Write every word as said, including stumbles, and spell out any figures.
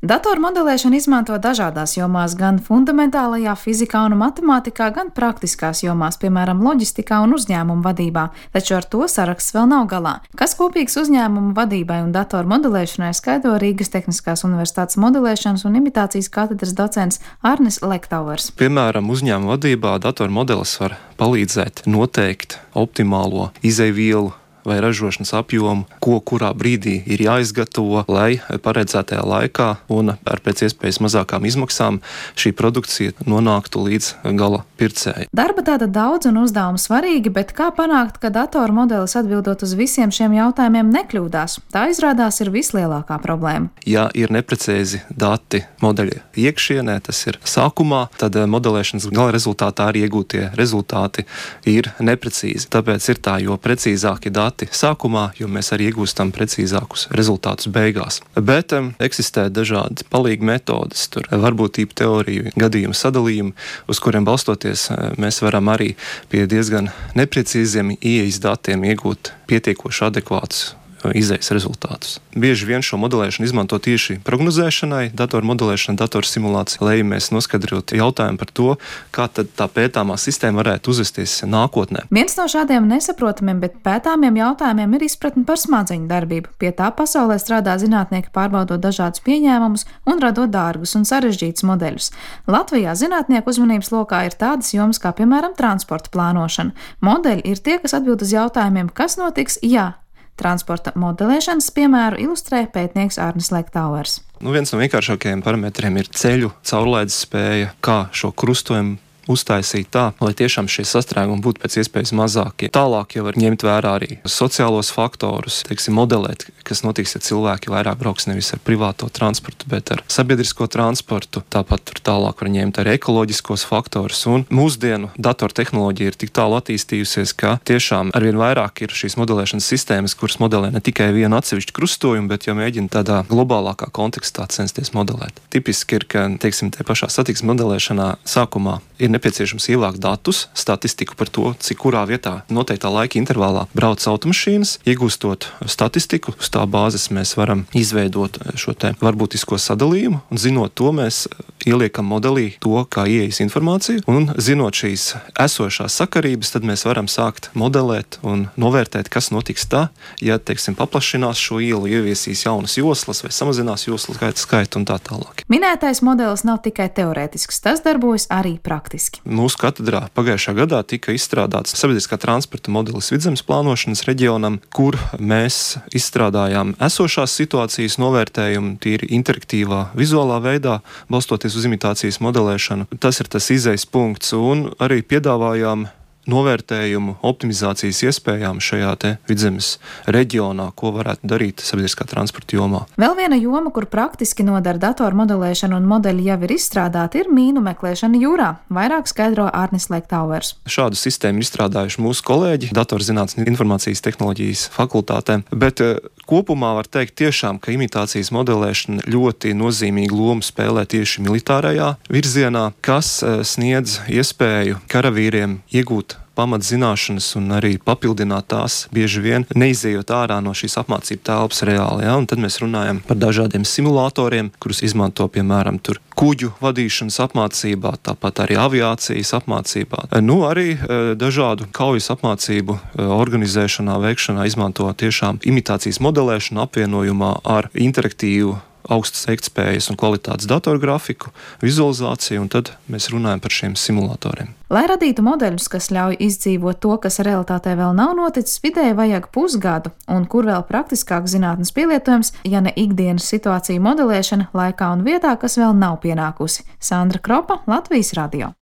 Datoru modelēšanu izmanto dažādās jomās, gan fundamentālajā fizikā un matemātikā, gan praktiskās jomās, piemēram, loģistikā un uzņēmumu vadībā, taču ar to saraksts vēl nav galā. Kas kopīgs uzņēmumu vadībai un datoru modelēšanai, skaidro Rīgas Tehniskās Universitātes modelēšanas un imitācijas katedras docents Arnis Lektauvers. Piemēram, uzņēmuma vadībā datoru modelis var palīdzēt noteikt optimālo izejvielu vai ražošanas apjomu, ko kurā brīdī ir jāizgatavo, lai paredzētajā laikā un ar pēc iespējas mazākām izmaksām šī produkcija nonāktu līdz gala pircēji. Darba tāda daudz un uzdevumi svarīgi, bet kā panākt, ka datoru modelis atbildot uz visiem šiem jautājumiem nekļūdās? Tā izrādās ir vislielākā problēma. Ja ir neprecīzi dati modeļa iekšienē, tas ir sākumā, tad modelēšanas gala rezultātā arī iegūtie rezultāti ir neprecīzi. Tāpēc ir tā, jo precīzāki dati sākumā, jo mēs arī iegūstam precīzākus rezultātus beigās. Bet um, eksistē dažādi palīgi metodes, tur varbūtību teoriju, gadījumu sadalījumu, uz kuriem balstoties mēs varam arī pie diezgan neprecīziem ieejas datiem iegūt pietiekoši adekvātus izējas rezultātus. Bieži vien šo modelēšanu izmanto tieši prognozēšanai, datoru modelēšana, datoru simulācija, lai mēs noskaidrotu jautājumu par to, kā tad tā pētāmā sistēma varētu uzvesties nākotnē. Viens no šādiem nesaprotamiem, bet pētāmiem jautājumiem ir izpratne par smadzeņu darbību. Pie tā pasaulē strādā zinātnieki, pārbaudot dažādus pieņēmumus un radot dārgus un sarežģītus modeļus. Latvijā zinātnieku uzmanības lokā ir tādas jomas kā, piemēram, transporta plānošana. Modeļi ir tie, kas atbild uz jautājumiem, kas notiks, ja transporta modelēšanas piemēru ilustrē pētnieks Arnis Lektauvers. Nu, viens no vienkāršākajiem parametriem ir ceļu caurlaides spēja, kā šo krustojumu uztaisīt tā, lai tiešām šie sastrēgumi būtu pēc iespējas mazākie. Tālāk jau var ņemt vērā arī sociālos faktorus, teiksim, modelēt, kas notiks, ja cilvēki vairāk brauks nevis ar privāto transportu, bet ar sabiedrisko transportu. Tāpat tur tālāk var ņemt arī ekoloģiskos faktorus. Un mūsdienu datortehnoloģija ir tik tālu attīstījusies, ka tiešām arvien vairāk ir šīs modelēšanas sistēmas, kuras modelē ne tikai vienu atsevišķu krustojumu, bet jau mēģina tādā globālākā kontekstā censties modelēt. Tipiski ir, ka, teiksim, te pašā satiksmes modelēšanā sākumā ir nepieciešams ievākt datus, statistiku par to, cik kurā vietā noteiktā laika intervālā brauc automašīnas. Iegūstot statistiku, uz tā bāzes mēs varam izveidot šo te varbūtisko sadalījumu, un zinot to, mēs ieliekam modelī to, kā ieejas informāciju, un zinot šīs esošās sakarības, tad mēs varam sākt modelēt un novērtēt, kas notiks tā, ja, teiksim, paplašinās šo ielu, ieviesīs jaunas joslas vai samazinās joslu skaitu un tā tālāk. Minētais modelis nav tikai teorētisks, tas darbojas arī praktiski. Mūsu katedrā pagājušā gadā tika izstrādāts sabiedriskā transporta modelis vidzemes plānošanas reģionam, kur mēs izstrādājām esošās situācijas novērtējumu tīri interaktīvā vizuālā veidā, balstoties uz imitācijas modelēšanu. Tas ir tas izejas punkts, un arī piedāvājām novērtējumu optimizācijas iespējām šajā te vidzemes reģionā, ko varētu darīt sabiedriskā transporta jomā. Vēl viena joma, kur praktiski nodara datoru modelēšana un modeļi jau ir izstrādāti, ir mīnu meklēšana jūrā. Vairāk skaidro Arnis Lektauvers. Šādu sistēmu ir izstrādājuši mūsu kolēģi datorzinātnes un informācijas tehnoloģijas fakultātē, bet kopumā var teikt tiešām, ka imitācijas modelēšana ļoti nozīmīgu lomu spēlē tieši militārajā virzienā, kas sniedz iespēju karavīriem iegūt pamatzināšanas un arī papildināt tās, bieži vien neizejot ārā no šīs apmācību telpas reāli. Ja? Un tad mēs runājam par dažādiem simulatoriem, kurus izmanto, piemēram, tur kuģu vadīšanas apmācībā, tāpat arī aviācijas apmācībā. Nu, arī e, dažādu kaujas apmācību e, organizēšanā, veikšanā izmanto tiešām imitācijas modelēšanu apvienojumā ar interaktīvu augstas veiktspējas un kvalitātes datorgrafiku, vizualizāciju, un tad mēs runājam par šiem simulatoriem. Lai radītu modeļus, kas ļauj izdzīvot to, kas realitātē vēl nav noticis, vidēji vajag pusgadu, un kur vēl praktiskāk zinātnes pielietojums, ja ne ikdienas situāciju modelēšana laikā un vietā, kas vēl nav pienākusi. Sandra Kropa, Latvijas radio.